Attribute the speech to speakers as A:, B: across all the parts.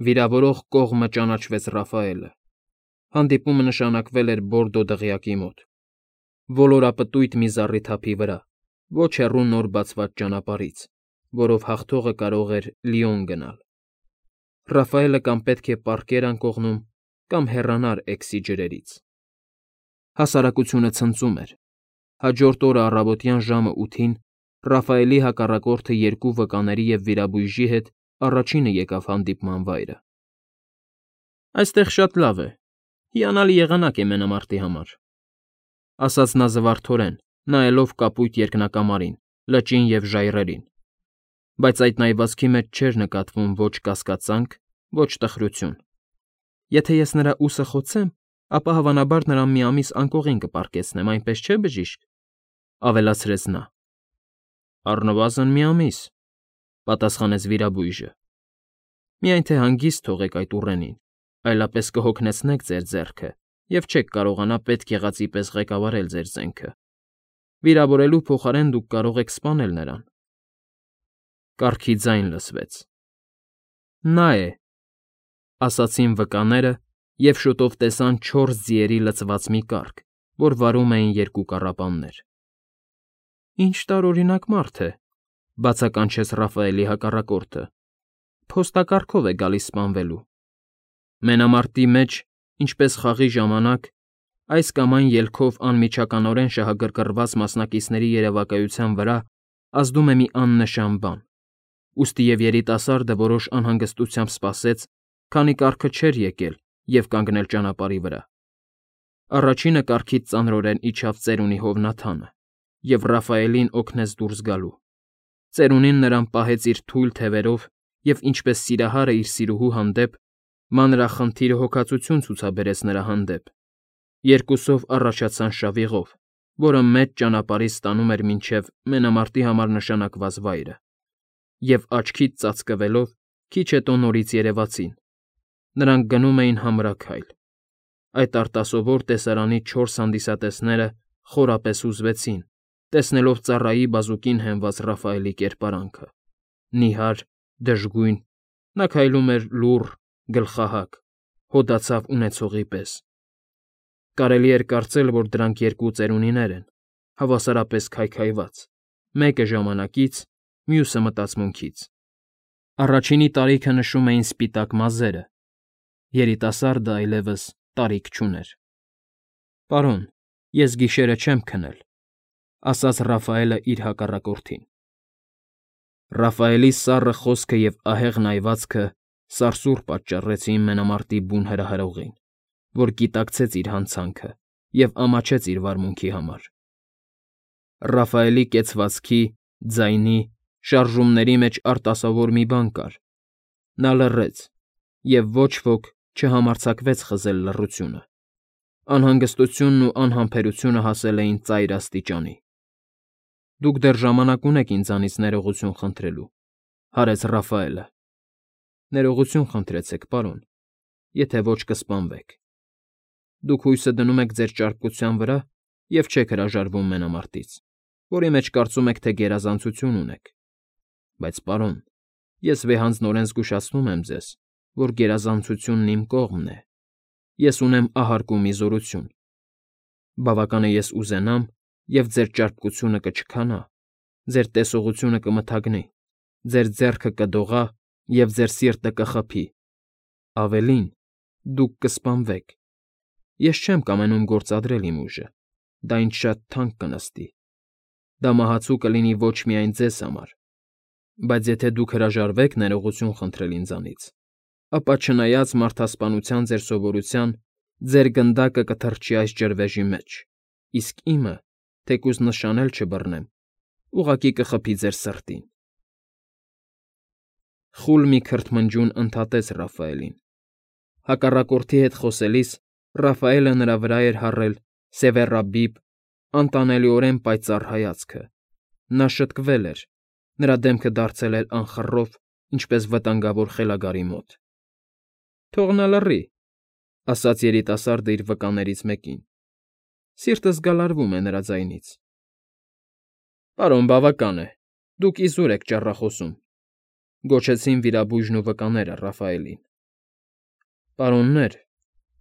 A: Վիրավորող կողմը ճանաչվեց Ռաֆայելը։ Հանդիպումը նշանակվել էր Բորդո դղյակի մոտ, ոլորապտույտ մի զառիթափի վրա, ոչ հեռու նոր բացված ճանապարհից, որով հաղթողը կարող էր Լիոն գնալ։ Ռաֆայելը կամ պետք է պառկեր անկողնում, կամ հեռանար Էքսի ջրերից։ Հասարակությունը ցնծում էր։ Հաջորդ օրը առավոտյան ժամը 8-ին Ռաֆայելի հակառակորդը երկու վկաների և վիրաբույժի հետ առաջինը եկավ հանդիպման վայրը։ «Այստեղ շատ լավ է, հիանալի եղանակ է մենամարտի համար», ֊ ասաց նա զվարթորեն, նայելով կապույտ երկնակամարին, լճին և ժայռերին, բայց այդ նայվածքի մեջ չէր նկատվում ոչ կասկածանք, ոչ տխրություն։ «Եթե ես նրա ուսը խոցեմ, ապա հավանաբար նրան մի ամիս անկողին կպարկեցնեմ, այնպես չէ՞, բժիշկ», ֊ ավելացրեց նա։ «Առնվազն մի ամիս», ֊ պատասխանեց վիրաբույժը։ «Միայն թե հանգիստ թողեք այդ ուռենին, այլապես կհոգնեցնեք ձեր ձեռքը և չեք կարողանա պետք եղածի պես ղեկավարել ձեր զենքը։ Վիրավորելու փոխարեն դուք կարող եք սպանել նրան»։ Կառքի ձայն լսվեց։ «Նա է», ֊ ասացին վկաները և շուտով տեսան 4 ձիերի լցված մի կառք, որ վարում էին երկու կառապաններ։ «Ինչ տարօրինակ մարդ է», ֊ բացականչեց Ռաֆայելի հակառակորդը։ «Փոստակառքով է գալիս սպանվելու»։ Մենամարտի մեջ, ինչպես խաղի ժամանակ, այս կամ այն ելքով անմիջականորեն շահագրգռված մասնակիցների երևակայության վրա ազդում է մի աննշան բան, ուստի և երիտասարդը որոշ անհանգստությամբ սպասեց, քանի կառքը չէր եկել և կանգնել ճանապարհի վրա։ Առաջինը կառքից ծանրորեն իջավ ծերունի հովնաթանը և Ռաֆայելին օգնեց դուրս գալու։ Ծերունին նրան պահեց իր թույլ թևերով և, ինչպես սիրահարը իր սիրուհու հանդեպ, մանրախնդիրը հոգածություն ցուցաբերեց նրա հանդեպ։ Երկուսով առաջացան շավիղով, որը մեծ ճանապարհից տանում էր մինչև մենամարտի համար նշանակված վայրը, և աչքից ծածկվելով քիչ հետո նորից երևացին։ Նրանք գնում էին համրաքայլ։ Այդ արտասովոր տեսարանի 4 հանդիսատեսները խորապես հուզվեցին, տեսնելով ծառայի բազուկին հենված Ռաֆայելի կերպարանքը՝ նիհար, դժգույն, նա քայլում էր լուռ, գլխահակ, հոդացավ ունեցողի պես։ Կարելի էր կարծել, որ դրանք երկու ծերունիներ են, հավասարապես քայքայված, մեկը ժամանակից, մյուսը մտածմունքից։ Առաջինի տարիքը նշում էին սպիտակ մազերը, երիտասարդը այլևս տարիք չուներ։ «Պարոն, ես գիշերը չեմ քնել», ֊ ասաց Ռաֆայելը իր հակառակորդին։ Ռաֆայելի սառը խոսքը և ահեղ նայվածքը սարսուռ պատճառեցին մենամարտի բուն հրահրողին, որ գիտակցեց իր հանցանքը և ամաչեց իր վարմունքի համար։ Ռաֆայելի կեցվածքի, ձայնի, շարժումների մեջ արտասովոր մի բան կար։ Նա լռեց, և ոչ ոք չհամարձակվեց խզել լռությունը։ Անհանգստությունն ու անհամբերությունը հասել էին ծայր աստիճանի։ «Դուք դեռ ժամանակ ունեք ինձանից ներողություն խնդրելու», ֊ հարեց Ռաֆայելը։ «Ներողություն խնդրեցեք, պարոն, եթե ոչ կսպանվեք։ Դուք հույսը դնում եք ձեր ճարպկության վրա և չեք հրաժարվում մենամարտից, որի մեջ կարծում եք, թե գերազանցություն ունեք։ Բայց, պարոն, ես վեհանձնորեն զգուշացնում եմ ձեզ, որ գերազանցությունն իմ կողմն է։ Ես ունեմ ահարկու մի զորություն։ Բավական է ես ուզենամ, և ձեր ճարպկությունը կչքանա, ձեր տեսողությունը կմթագնի, ձեր ձեռքը կդողա և ձեր սիրտը կխփի։ Ավելին, դուք կսպանվեք։ Ես չեմ կամենում գործադրել իմ ուժը, դա ինձ շատ թանկ կնստի։ Դա մահացու կլինի ոչ միայն ձեզ համար, բայց եթե դուք հրաժարվեք ներողություն խնդրել ինձանից, ապա չնայած մարդասպանության ձեր սովորության, ձեր գնդակը կթռչի այս ջրվեժի մեջ, իսկ իմը, թեկուզ նշան էլ չբռնեմ, ուղղակի կխփի ձեր սրտին»։ Խուլ մի քրթմնջյուն ընդհատեց Ռաֆայելին։ Հակառակորդի հետ խոսելիս Ռաֆայելը նրա վրա էր հառել սևեռաբիբ, անտանելիորեն պայծառ հայացքը։ Նա շտկվել էր, նրա դեմքը դարձել էր անխռով, ինչպես վտանգավոր խելագարի մոտ։ «Թող նա լռի», ֊ ասաց երիտասարդը իր վկաներից մեկին։ «Սիրտս գալարվում է նրա ձայնից»։ «Պարոն, բավական է, դուք իզուր եք ճառախոսում», ֊ գոչեցին վիրաբույժն ու վկաները Ռաֆայելին։ Պարոններ,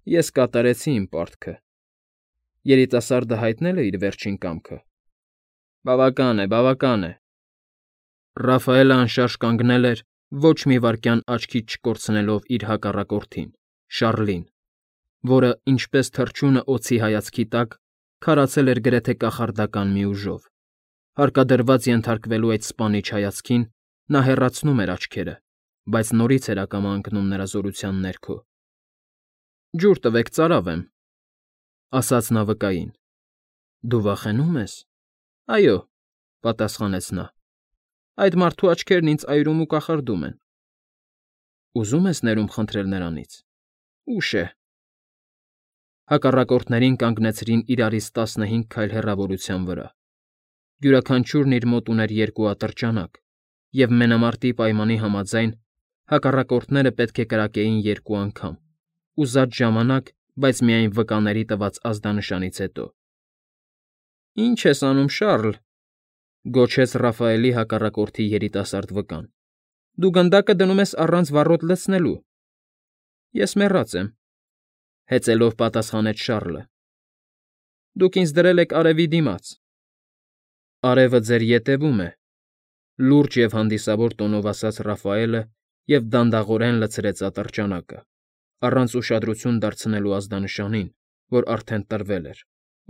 A: ես կատարեցի իմ պարտքը։ Երիտասարդը հայտնել է իր վերջին կամքը։ Բավական է, բավական է։ Ռաֆայելը անշարժ կանգնել էր, ոչ մի վայրկյան աչքից չկորցնելով իր հակառակորդին, Շառլին, որը, ինչպես թռչյունը օձի հայացքի տակ, քարացել էր գրեթե կախարդական մի ուժով։ Հարկադրված ենթարկվելու այդ սպանիչ հայացքին նա հեռացնում էր աչքերը, բայց նորից էր ակամա ընկնում նրա զորության ներքո։ «Ջուր տվեք, ծարավեմ», ասաց նա վկային։ «Դու վախենու՞մ ես»։ «Այո», պատասխանեց նա։ «Այդ մարդու աչքերն ինձ այրում ու կախարդում են»։ «Ուզում ես ներում խնդրել նրանից»։ «Ուշ է»։ Հակառակորդներին կանգնեցրին իրարից 15 քայլ հեռավորության վրա։ Յուրաքանչյուրն իր մոտ ուներ 2 ատրճանակ, և մենամարտի պայմանի համաձայն հակառակորդները պետք է կրակեին 2 անգամ, ուզած ժամանակ, բայց միայն վկաների տված ազդանշանից հետո։ «Ի՞նչ ես անում, Շառլ», գոչեց Ռաֆայելի հակառակորդի երիտասարդ վկան։ «Դու գնդակը դնում ես առանց վառոդ լցնելու»։ «Ես մեռած եմ», հեծելով պատասխանեց Շառլը։ «Դուք ինձ դրել եք արևի դիմաց»։ «Արևը ձեր ետևում է», լուրջ և հանդիսավոր տոնով ասաց Ռաֆայելը և դանդաղորեն լցրեց ատրճանակը, առանց ուշադրություն դարձնելու ազդանշանին, որ արդեն տրվել էր,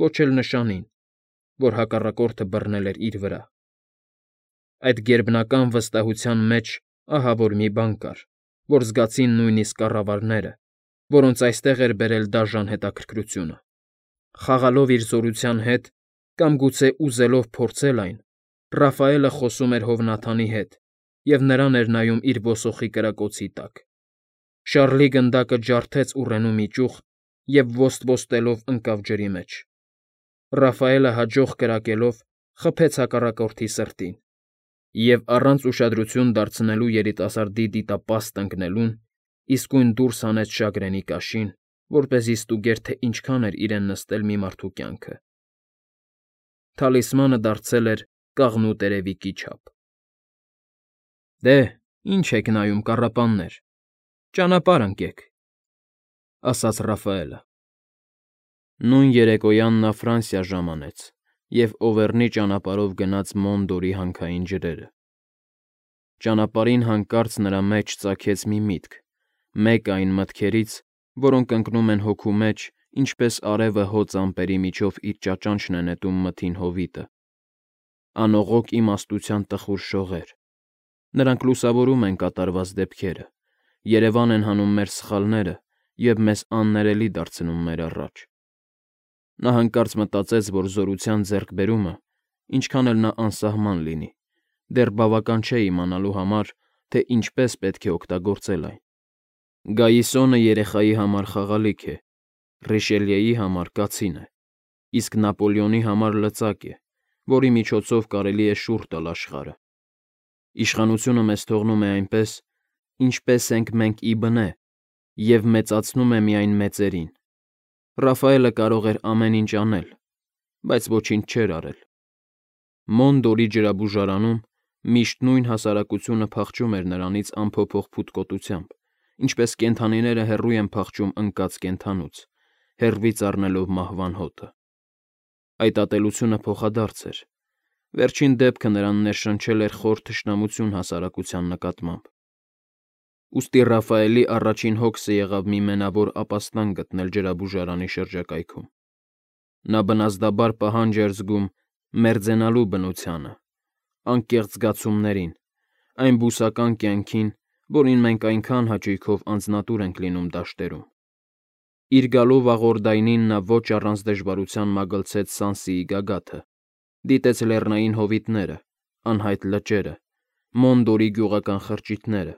A: ոչ էլ նշանին, որ հակառակորդը բռնել էր իր վրա։ Այդ գերբնական վստահության մեջ ահա որ մի բան կար, որ զգացին նույնիսկ կառավարները, որոնց այստեղ էր բերել դաժան հետաքրքրությունը։ Խաղալով իր զորության հետ կամ գուցե ուզելով փորձել այն, Ռաֆայելը խոսում էր Հովնաթանի հետ, և նրան էր նայում իր ոսոխի կրակոցի տակ։ Շառլի գնդակը ջարդեց ուռենու մի ճյուղ և ոստ֊ոստելով ընկավ ջրի մեջ։ Ռաֆայելը հաջող կրակելով խփեց հակառակորդի սրտին, և առանց ուշադրություն դարձնելու երիտասարդի դիտապաստը ընկնելուն իսկույն դուրս հանեց շագրենի կաշին, որպեսզի ստուգեր, թե ինչքան էր իրեն նստել մի մարդու կյանքը։ Թալիսմանը դարձել էր կաղնու տերևիկի չափ։ «Դե, ինչ եք նայում, կառապաններ, ճանապարհ ընկեք», ասաց Ռաֆայելը։ Նույն երեկոյան նա Ֆրանսիա ժամանեց և Օվերնի ճանապարհով գնաց Մոնդորի հանքային ջրերը։ Ճանապարհին հանկարծ նրա մեջ ծագեց մի միտք, մեկ այն մտքերից, որոնք ընկնում են հոգու մեջ, ինչպես արևը հոծ ամպերի միջով իր ճաճանչն է նետում մթին հովիտը։ Անողոք իմաստության տխուր շողեր։ Նրանք լուսավորում են կատարված դեպքերը, երևան են հանում մեր սխալները և մեզ աններելի դարձնում մեր առաջ։ Նա հանկարծ մտածեց, որ զորության ձեռքբերումը, ինչքան էլ նա անսահման լինի, դեռ բավական չէ իմանալու համար, թե ինչպես պետք է օգտագործել այն։ Գայիսոնը երեխայի համար խաղալիք է, Ռիշելիեի համար կացին է, իսկ Նապոլեոնի համար լծակ է, որի միջոցով կարելի է շուռ տալ աշխարհը։ Իշխանությունը մեզ թողնում է այնպես, ինչպես ենք մենք ի բնե, և մեծացնում է միայն մեծերին։ Ռաֆայելը կարող էր ամեն ինչ անել, բայց ոչինչ չէր արել։ Մոնդորի ջրաբուժարանում միշտ նույն հասարակությունը փախչում էր նրանից անփոփոխ փութկոտությամբ, ինչպես կենդանիները հեռու են փախչում ընկած կենդանուց, հեռվից առնելով մահվան հոտը։ Այդ ատելությունը փոխադարձ էր։ Վերջին դեպքը նրան ներշնչել էր խոր թշնամություն հասարակության նկատմամբ։ Ուստի Ռաֆայելի առաջին հոգսը եղավ մի մենավոր ապաստան գտնել ջրաբուժարանի շրջակայքում։ Նա բնազդաբար պահանջ էր զգում մերձենալու բնությանը, անկեղծ զգացումներին, այն բուսական կյանքին, որին մենք այնքան հաճույքով անձնատուր ենք լինում դաշտերում։ Իր գալու վաղորդայնին նա ոչ առանց դժվարության մագլցեց Սանսիի գագաթը, դիտեց լեռնային հովիտները, անհայտ լճերը, Մոնդորի գյուղական խրճիթները,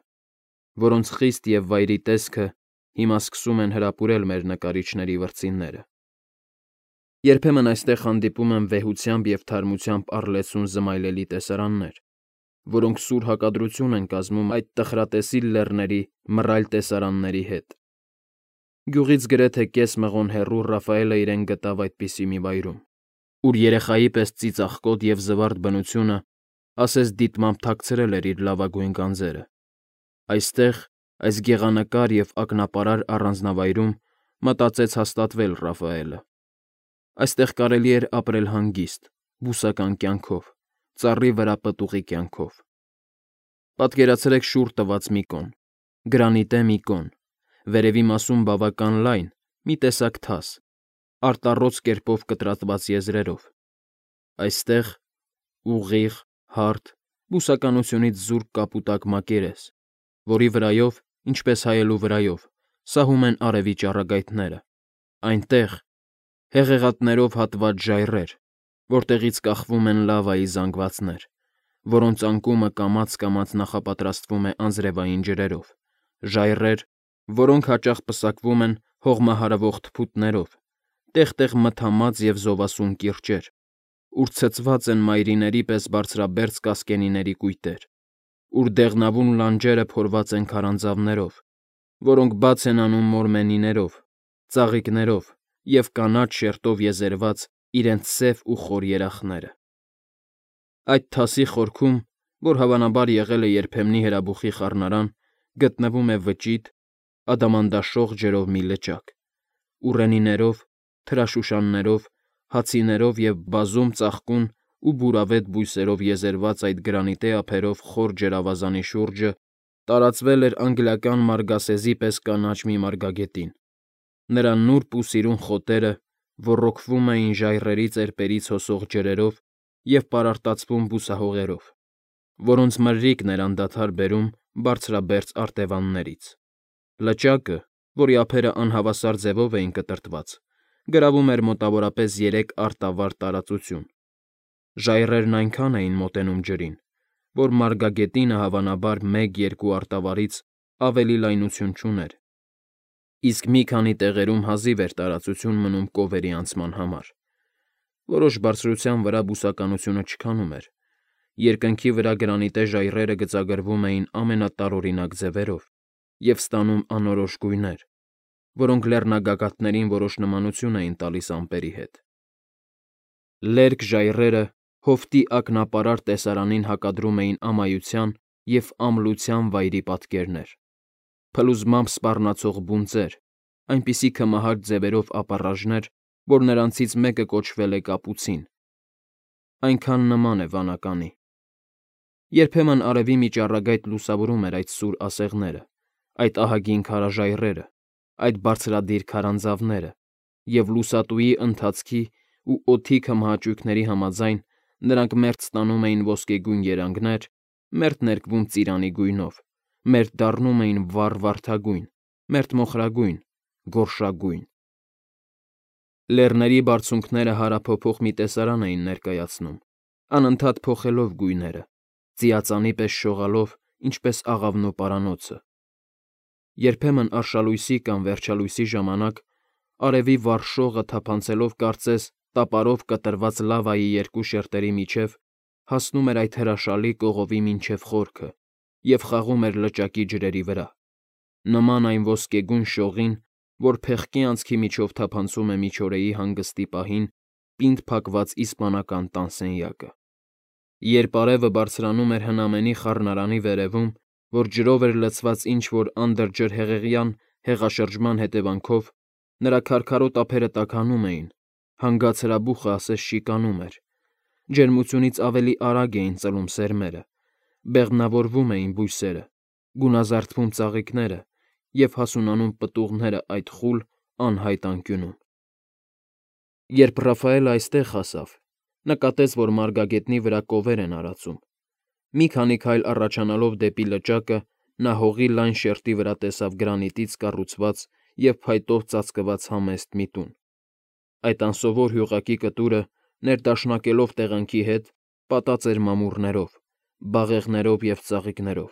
A: որոնց խիստ և վայրի տեսքը հիմա սկսում են հրապուրել մեր նկարիչների վրձինները։ Երբեմն այստեղ հանդիպում են վեհությամբ և թարմությամբ առլեցուն զմայլելի տեսարաններ, որոնք սուր հակադրություն են կազմում այդ տխրատեսիլ լեռների մռայլ տեսարանների հետ։ Գյուղից գրեթե կես մղոն հեռու Ռաֆայելը իրեն գտավ այդպիսի մի վայրում, ուր երեխայի պես ծիծաղկոտ և զվարթ բնությունը ասես դիտմամբ թաքցրել էր իր լավագույն գանձերը։ Այստեղ, Այս գեղանկար և ակնապարար առանձնավայրում մտածեց հաստատվել Ռաֆայելը։ Այստեղ կարելի էր ապրել հանգիստ, բուսական կյանքով, ծառի վրա պտուղի կյանքով։ Պատկերացրեք շուռ տված մի կոն, գրանիտե մի կոն, վերևի մասում բավական լայն, մի տեսակ թաս, արտառոց կերպով կտրատված եզրերով։ Այստեղ ուղիղ, հարթ, բուսականությունից զուրկ կապուտակ մակերես, որի վրայով, ինչպես հայելու վրայով, սահում են արևի ճառագայթները։ Այնտեղ հեղեղատներով հատված ժայռեր, որտեղից կախվում են լավայի զանգվածներ, որոնց անկումը կամաց-կամաց նախապատրաստվում է անձրևային ջրերով, ժայռեր, որոնք հաճախ պսակվում են հողմահարվող թփուտներով, տեղ-տեղ մթամած և զովասուն կիրճեր, ուր ցցված են մայրիների պես բարձրաբերձ կասկենիների կույտեր, ուր դեղնավուն լանջերը փորված են քարանձավներով, որոնք բաց են անում մորմենիներով, ծաղիկներով և կանաչ շերտով եզերված իրենց սև ու խոր երախները։ Այդ թասի խորքում, որ հավանաբար եղել է երբեմնի հրաբուխի խառնարան, գտնվում է վճիտ, ադամանդաշող ջրով մի լճակ, ուռենիներով, թրաշուշաններով, հացիներով և բազում ծաղկուն ու բուրավետ բույսերով եզերված այդ գրանիտե ափերով խոր ջրավազանի շուրջը տարածվել էր անգլիական մարգասեզի պես կանաչ մի մարգագետին։ Նրա նուրբ ու սիրուն խոտերը ոռոգվում էին ժայռերի ծեպերից հոսող ջրերով և պարարտացվում բուսահողերով, որոնց մրրիկն էր անդադար բերում բարձրաբերձ արտևաններից։ Լճակը, որի ափերը անհավասար ձևով էին կտրտված, գրավում էր մոտավորապես 3 արտավար տարածություն։ Ժայռերն այնքան էին մոտենում ջրին, որ մարգագետինը հավանաբար 1-2 արտավարից ավելի լայնություն չուներ, իսկ մի քանի տեղերում հազիվ էր տարածություն մնում կովերի անցման համար։ Որոշ բարձրության վրա բուսականությունը չքանում էր, երկնքի վրա գրանիտե ժայռերը գծագրվում էին ամենատարօրինակ ձևերով և ստանում անորոշ գույներ, որոնք լեռնագագաթներին որոշ նմանություն էին տալիս ամպերի հետ։ Լերկ ժայռերը հովտի ակնապարար տեսարանին հակադրում էին ամայության և ամլության վայրի պատկերներ, փլուզմամբ սպառնացող բունծեր, այնպիսի քմահաճ ձևերով ապառաժներ, որ նրանցից մեկը կոչվել է կապուցին, այնքան նման է վանականի։ Երբեմն արևի մի ճառագայթ լուսավորում էր այդ սուր ասեղները, այդ ահագին քարաժայռերը, այդ բարձրադիր քարանձավները, և լուսատուի ընթացքի ու օդի քմահաճույքների համաձայն նրանք մերթ ստանում էին ոսկեգույն երանգներ, մերթ ներկվում ծիրանի գույնով, մերթ դառնում էին վառ վարդագույն, մերթ մոխրագույն, գորշագույն։ Լեռների բարձունքները հարափոփող մի տեսարան էին ներկայացնում, անընդհատ փոխելով գույները, ծիածանի պես շողալով, ինչպես աղավնու պարանոցը։ Երբեմն արշալույսի կամ վերջալույսի ժամանակ արևի վառ շողը թափանցելով կարծես տապարով կտրված լավայի երկու շերտերի միջև հասնում էր այդ հրաշալի կողովի մինչև խորքը և խաղում էր լճակի ջրերի վրա, նման այն ոսկեգույն շողին, որ փեղկի անցքի միջով թափանցում է միջօրեի հանգստի պահին պինդ փակված իսպանական տան սենյակը։ Երբ արևը բարձրանում էր հնամենի խառնարանի վերևում, որ ջրով էր լցված ինչ-որ անդրջրհեղեղյան հեղաշրջման հետևանքով, նրա քարքարոտ ափերը տաքանում էին, հանգած հրաբուխը ասես շիկանում էր, ջերմությունից ավելի արագ էին ծլում սերմերը, բեղմնավորվում էին բույսերը, գունազարդվում ծաղիկները և հասունանում պտուղները այդ խուլ, անհայտ անկյունում։ Երբ Ռաֆայելը այստեղ հասավ, նկատեց, որ մարգագետնի վրա կովեր են արածում։ Մի քանի քայլ առաջանալով դեպի լճակը նա հողի լայն շերտի վրա տեսավ գրանիտից կառուցված և փայտով ծածկված համեստ մի տուն։ Այդ անսովոր հյուղակի կտուրը, ներդաշնակելով տեղանքի հետ, պատած էր մամուռներով, բաղեղներով և ծաղիկներով,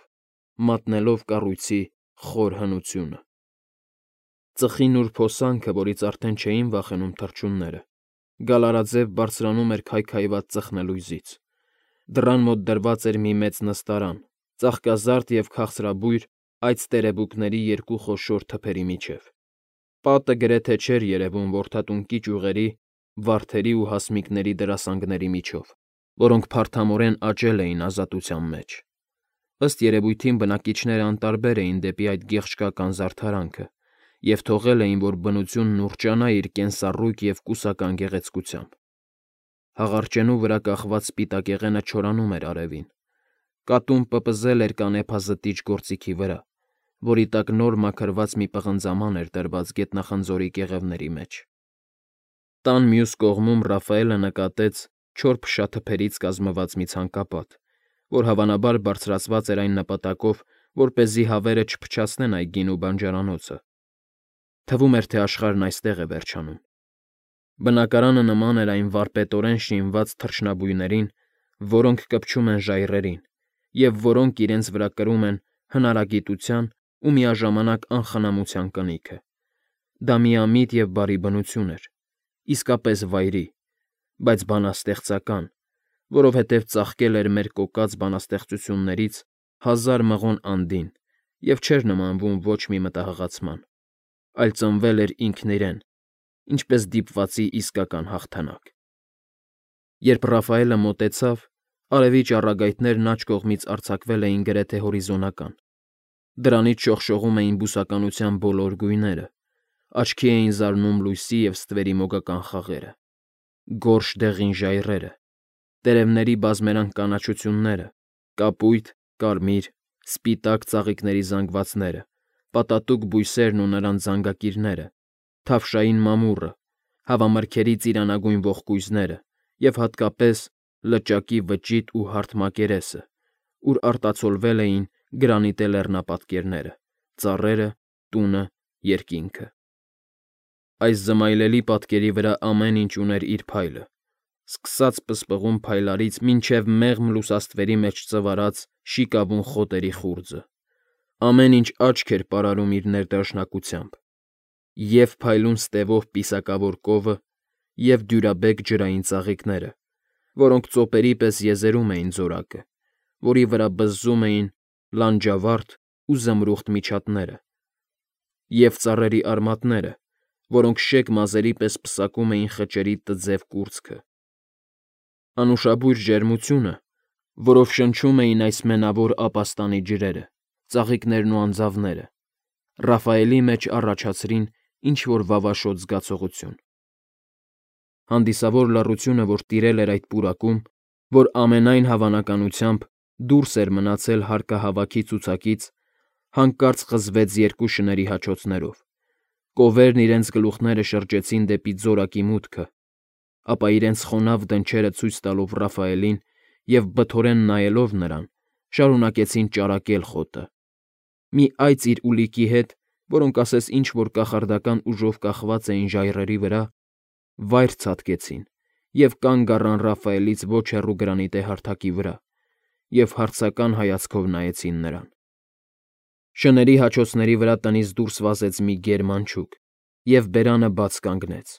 A: մատնելով կառույցի խոր հնությունը։ Ծխի նուրբ հոսանքը, որից արդեն չէին վախենում թռչունները, գալարաձև բարձրանում էր քայքայված ծխնելույզից։ Դռան մոտ դրված էր մի մեծ նստարան, ծաղկազարդ և քաղցրաբույր այծ տերևուկների երկու խոշոր թփերի միջև։ Պատը գրեթե չէր երևում որդատունկի ճյուղերի, վարդերի ու հասմիկների դրասանգների միջով, որոնք փարթամորեն աճել էին ազատության մեջ։ Ըստ երևույթին բնակիչները անտարբեր էին դեպի այդ գեղչկական զարդարանքը և թողել էին, որ բնությունն ուռճանա իր կենսառույգ և կուսական գեղեցկությամբ։ Հաղարջենու վրա կախված սպիտակեղենը չորանում էր արևին։ Կատուն պպզել էր կանեփազտիչ գործիքի վրա, որի տակ նոր մաքրված մի պղնձաման էր դրված գետնախնձորի կեղևների մեջ։ Տան մյուս կողմում Ռաֆայելը նկատեց չոր փշաթփերից կազմված մի ցանկապատ, որ հավանաբար բարձրացված էր այն նպատակով, որպեսզի հավերը չփչացնեն այգին ու բանջարանոցը։ Թվում էր, թե աշխարհն այստեղ է վերջանում։ Բնակարանը նման էր այն վարպետորեն շինված թռչնաբույներին, որոնք կպչում են ժայռերին, և որոնք իրենց վրա կրում են հնարագիտության ու միաժամանակ անխնամության կնիքը։ Դա միամիտ և բարի բնություն էր, իսկապես վայրի, բայց բանաստեղծական, որովհետև ծաղկել էր մեր կոկած բանաստեղծություններից հազար մղոն անդին և չէր նմանվում ոչ մի մտահղացման, այլ ծնվել էր ինքն իրեն, ինչպես դիպվածի իսկական հաղթանակ։ Երբ Ռաֆայելը մոտեցավ, արևի ճառագայթներն աջ կողմից արձակվել էին գրեթե հորիզոնական, դրանից շողշողում էին բուսականության բոլոր գույները, աչքի էին զարնում լույսի և ստվերի մոգական խաղերը, գորշ դեղին ժայռերը, տերևների բազմերանգ կանաչությունները, կապույտ, կարմիր, սպիտակ ծաղիկների զանգվածները, պատատուկ բույսերն ու նրանց զանգակիրները, թավշային մամուռը, հավամրգերի ծիրանագույն ողկույզները և հատկապես լճակի վճիտ ու հարթ մակերեսը, ուր արտացոլվել էին գրանիտե լեռնապատկերները, ծառերը, տունը, երկինքը։ Այս զմայլելի պատկերի վրա ամեն ինչ ուներ իր փայլը, սկսած պսպղուն փայլարից մինչև մեղմ լուսաստվերի մեջ ծվարած շիկավուն խոտերի խուრძը։ Ամեն ինչ աչք էր պարարում իր ներդաշնակությամբ, և՛ փայլուն ստևով պիսակավոր կովը, և՛ դյուրաբեկ ջրային ծաղիկները, որոնք ծոպերի պես եզերում էին ձորակը, որի վրա բզզում էին լանջավարդ ու զմրուխտ միջատները, և ծառերի արմատները, որոնք շեկ մազերի պես պսակում էին խճերի տձև կուրծքը։ Անուշաբույր ջերմությունը, որով շնչում էին այս մենավոր ապաստանի ջրերը, ծաղիկներն ու անձավները, Ռաֆայելի մեջ առաջացրին ինչ֊որ վավաշոտ զգացողություն։ Հանդիսավոր լռությունը, որ տիրել էր այդ պուրակում, որ ամենայն հավանականությամբ դուրս էր մնացել հարկահավաքի ցուցակից, հանկարծ խզվեց երկու շների հաչոցներով, կովերն իրենց գլուխները շրջեցին դեպի ձորակի մուտքը, ապա իրենց խոնավ դնչերը ցույց տալով Ռաֆայելին և բթորեն նայելով նրան, շարունակեցին ճարակել խոտը։ Մի այծ իր ուլիկի հետ, որոնք ասես ինչ֊որ կախարդական ուժով կախված էին ժայռերի վրա, վայր ցատկեցին և կանգ առան Ռաֆայելից ոչ հեռու գրանիտե հարթակի վրա և հարցական հայացքով նայեցին նրան։ Շների հաչոցների վրա տնից դուրս վազեց մի գեր մանչուկ և բերանը բաց կանգնեց,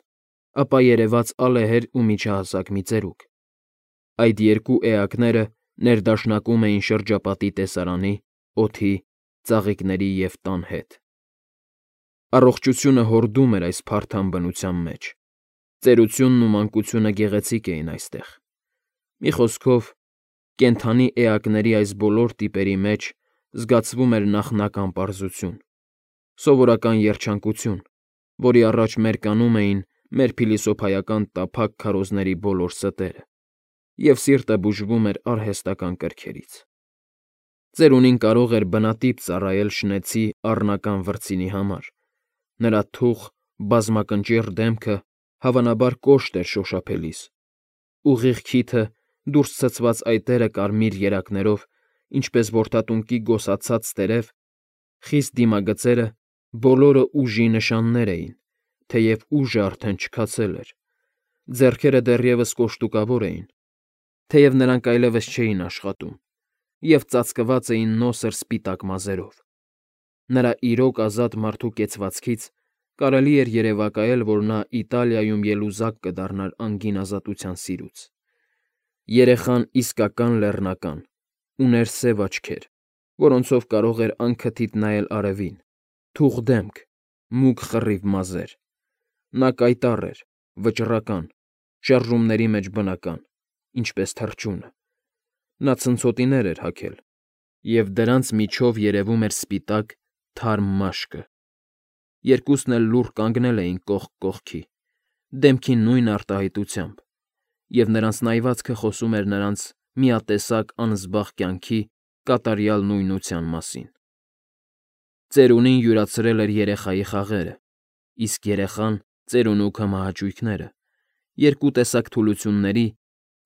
A: ապա երևաց ալեհեր ու միջահասակ մի ծերուկ։ Այդ երկու էակները ներդաշնակում էին շրջապատի տեսարանի, օդի, ծաղիկների և տան հետ։ Առողջությունը հորդում էր այս փարթամ բնության մեջ, ծերությունն ու մանկությունը գեղեցիկ էին այստեղ։ Մի խոսքով, կենդանի էակների այս բոլոր տիպերի մեջ զգացվում էր նախնական պարզություն, սովորական երջանկություն, որի առաջ մերկանում էին մեր փիլիսոփայական տափակ քարոզների բոլոր ստերը, և սիրտը բուժվում էր արհեստական կրքերից։ Ծերունին կարող էր բնատիպ ծառայել շնեցի առնական վրձինի համար, նրա թուխ, բազմակնճիռ դեմքը հավանաբար կոշտ էր շոշափելիս, ուղիղ քիթը, դուրս ցցված այտերը կարմիր երակներով, ինչպես որդատունկի գոսացած տերև, խիստ դիմագծերը բոլորը ուժի նշաններ էին, թեև ուժը արդեն չքացել էր, ձեռքերը դեռևս կոշտուկավոր էին, թեև նրանք այլևս չէին աշխատում, և ծածկված էին նոսր սպիտակ մազերով։ Նրա իրոք ազատ մարդու կեցվածքից կարելի էր երևակայել, որ նա Իտալիայում ելուզակ կդառնար անգին ազատության սիրուց։ Երեխան իսկական լեռնական, ուներ սև աչքեր, որոնցով կարող էր անքթիթ նայել արևին, թուխ դեմք, մուգ խռիվ մազեր։ Նա կայտառ էր, վճռական, շարժումների մեջ բնական, ինչպես թռչունը։ Նա ցնցոտիներ էր հագել, և դրանց միջով երևում էր սպիտակ, թարմ մաշկը։ Երկուսն էլ լուռ կանգնել էին կողք կողքի, դեմքին նույն արտահայտությամբ, և նրանց նայվածքը խոսում էր նրանց միատեսակ անզբաղ կյանքի կատարյալ նույնության մասին։ Ծերունին յուրացրել էր երեխայի խաղերը, իսկ երեխան՝ ծերունու քմահաճույքները, երկու տեսակ թուլությունների՝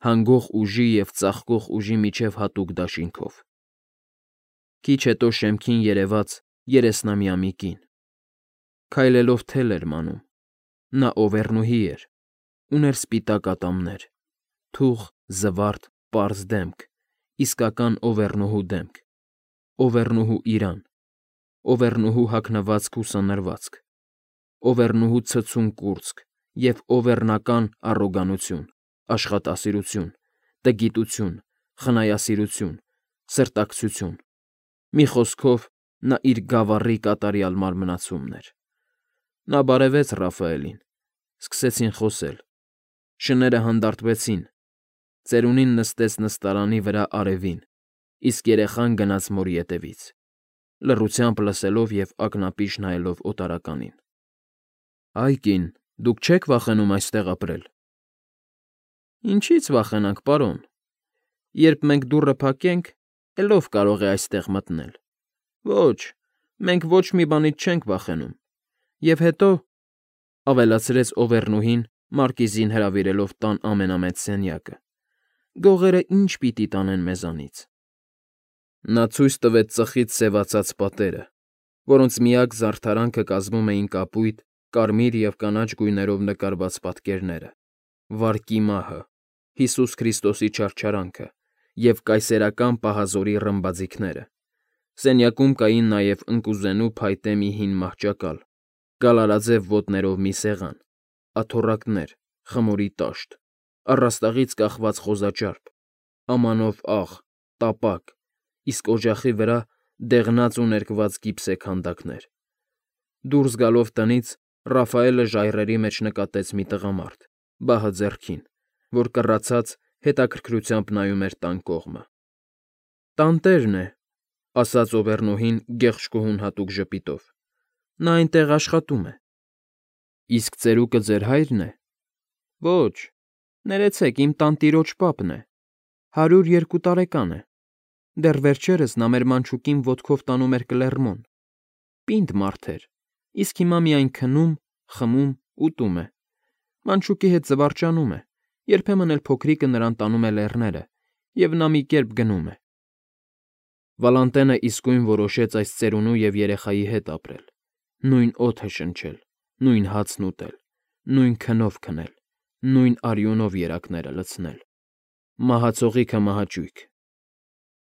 A: հանգող ուժի և ծաղկող ուժի միջև հատուկ դաշինքով։ Քիչ հետո շեմքին երևաց երեսնամյա մի կին։ Քայլելով թել էր մանում։ Նա Օվեռնուհի էր, ուներ սպիտակ ատամներ, թուխ, զվարթ, պարզ դեմք, իսկական օվեռնուհու դեմք, օվեռնուհու իրան, օվեռնուհու հագնվածք ու սանրվածք, օվեռնուհու ցցուն կուրծք և օվեռնական առոգանություն, աշխատասիրություն, տգիտություն, խնայասիրություն, սրտակցություն, մի խոսքով, նա իր գավառի կատարյալ մարմնացումն էր։ Նա բարևեց Ռաֆայելին, սկսեցին խոսել, շները հանդարտվեցին, ծերունին նստեց նստարանի վրա արևին, իսկ երեխան գնաց մորի ետևից, լռությամբ լսելով և ակնապիշ նայելով օտարականին։ ֊ Այ կին, դուք չե՞ք վախենում այստեղ ապրել։ ֊ Ինչի՞ց վախենանք, պարոն, երբ մենք դուռը փակենք, էլ ո՞վ կարող է այստեղ մտնել։ Ոչ, մենք ոչ մի բանից չենք վախենում։ Եվ հետո,֊ ավելացրեց Օվեռնուհին, մարկիզին հրավիրելով տան ամենամեծ սենյակը,֊ գողերը ի՞նչ պիտի տանեն մեզանից։ Նա ցույց տվեց ծխից սևացած պատերը, որոնց միակ զարդարանքը կազմում էին կապույտ, կարմիր և կանաչ գույներով նկարված պատկերները, վարկի մահը, Հիսուս Քրիստոսի չարչարանքը և կայսերական պահազորի ռմբաձիգները։ Սենյակում կային նաև ընկուզենու փայտե մի հին մահճակալ, գալարաձև ոտներով մի սեղան, աթոռակներ, խմորի տաշտ, առաստաղից կախված խոզաճարպ, ամանով աղ, տապակ, իսկ օջախի վրա դեղնած ու ներկված գիպսե քանդակներ։ Դուրս գալով տնից՝ Ռաֆայելը ժայռերի մեջ նկատեց մի տղամարդ, բահը ձեռքին, որ կռացած հետաքրքրությամբ նայում էր տան կողմը։ ֊ Տանտերն է,֊ ասաց Օվեռնուհին գեղշկուհուն հատուկ ժպիտով,֊ նա այնտեղ աշխատում է։ ֊ Իսկ ծերուկը ձեր հա՞յրն է։ ֊ Ոչ, ներեցեք, իմ տանտիրոջ պապն է, 102 տարեկան է։ Դեռ վերջերս նա մեր մանչուկին ոտքով տանում էր Կլեռմոն։ Պինդ մարդ էր, իսկ հիմա միայն քնում, խմում, ուտում է։ Մանչուկի հետ զվարճանում է, երբեմն էլ փոքրիկը նրան տանում է լեռները, և նա մի կերպ գնում է։ Վալանտենը իսկույն որոշեց այս ծերունու և երեխայի հետ ապրել, նույն օդը շնչել, նույն հացն ուտել, նույն քնով քնել, նույն արյունով երակները լցնել։ Մահացողի քմահաճույք,